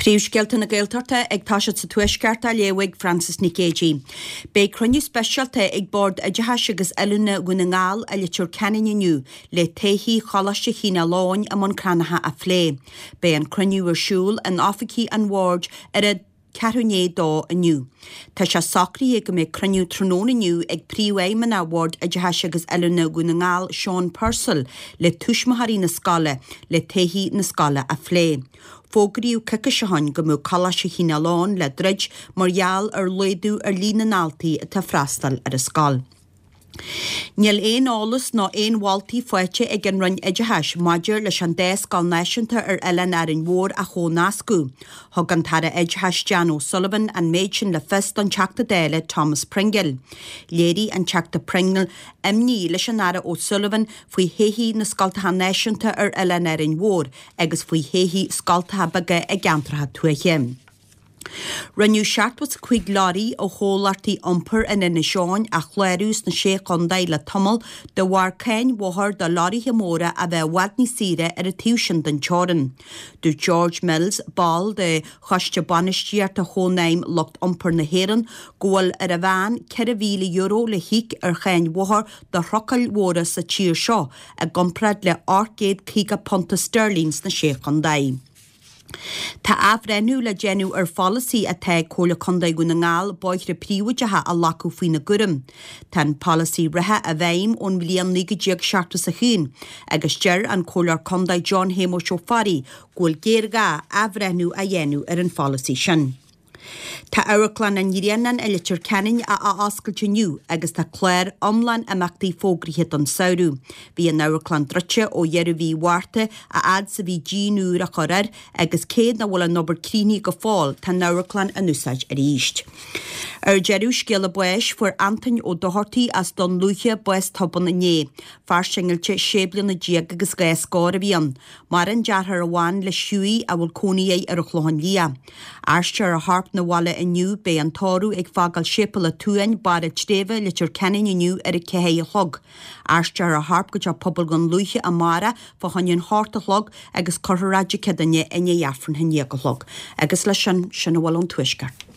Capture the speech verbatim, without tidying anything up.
Príomhscéalta na Gaeltachta ag toiseacht sa Tuaisceart á léamh ag Frances Nic Géadaigh. Beidh cruinniú speisialta ag Bord Oideachais agus Oiliúna Dhún na nGall i Leitir Ceanainn inniu le todhchaí Choláiste Chineál Eoghain i mBun Cranncha a phlé. Beidh an cruinniú ar siúl in oifigí an bhoird ar a ceathrú i ndiaidh a dó inniu. Tá sé socraithe go mbeidh cruinniú tráthnóna inniu ag Príomhfheidhmeannach Bhord Oideachais agus Oiliúna Dhún na nGall, Seán Purcell, le tuismitheoirí na scoile le todhchaí na scoile a phlé. Fógraíodh coicís ó shin go mbeadh Coláiste Chineál Eoghain le druid mar gheall ar laghdú ar líon na ndaltaí atá ag freastal ar an scoil. Níl aon eolas ná aon mholtaí faighte ag an Roinn Oideachais maidir leis an dá scoil náisiúnta ar oileán Árainn Mhór a chomhnascadh. Thug an tAire Oideachais Dan O'Sullivan an méid sin le fios don Teachta Dála Thomas Pringle. Léirigh an Teachta Pringle imní leis an Aire O'Sullivan faoi thodhchaí na scoltacha náisiúnta ar oileán Árainn Mhór agus faoi thodhchaí scoltacha beaga i gceantracha tuaithe. Rinneadh seachtó is a cúig leoraí ó chomhlachtaí iompair in Inis Eoghain a chlárú sna Sé Chontae le tamall de bharr cáin bhóthair do leoraithe móra a bheith i bhfad níos saoire ar an taobh sin den teorainn. Dúirt George Mills, ball de Choiste Bainistíochta Chónaidhm Lucht Iompair na hÉireann, go bhfuil ar an mheán ceithre mhíle euro le híoc ar cháin bhóthair do thrucail mhóra sa tír seo i gcomparáid le ocht gcéad caoga punta steirlín sna Sé Chontae. Tá athbhreithniú le déanamh ar pholasaí atá ag Comhairle Contae Dhún na nGall bóithre príobháideacha a ghlacadh faoina gcúram. Tá an polasaí reatha i bhfeidhm ón mbliain naoi déag seachtó is a haon agus deir an Comhairleoir Contae John Shéamuis Ó Fearraigh go bhfuil géarghá athbhreithniú a dhéanamh ar an pholasaí sin. Tá Amharclann an Ghrianáin i Leitir Ceanainn á athoscailt inniu agus tá clár iomlán imeachtaí fógraithe don samhradh. Bhí an amharclann druidte ó dheireadh mhí Mhárta a fhad is a bhí díon úr á chur air agus cé nach bhfuil an obair críochnaithe go fóill tá an amharclann in úsáid arís. Ar deireadh, scéala báis, fuair Antoin Ó Dochartaigh as Dún Lúiche bás tobann inné. Fear singilte sé bliana déag agus dhá scór a bhí ann. Maireann deartháir amháin leis Hughie a bhfuil cónaí air ar an Chlochán Liath. Aistreofar a chorp 'na bhaile inniu, beidh an tórramh ag fágáil Séipéal an tSuain, Barr an tSléibhe, Leitir Ceanainn inniu ar a ceathair a chlog. Aistreofar a chorp go teach pobail Dhún Lúiche amárach fá choinne an hocht a chlog agus cuirfear é i dTigh Cead Duine i ndiaidh Aifreann a haon déag a chlog. Agus leis sin, sin a bhfuil ón Tuaisceart.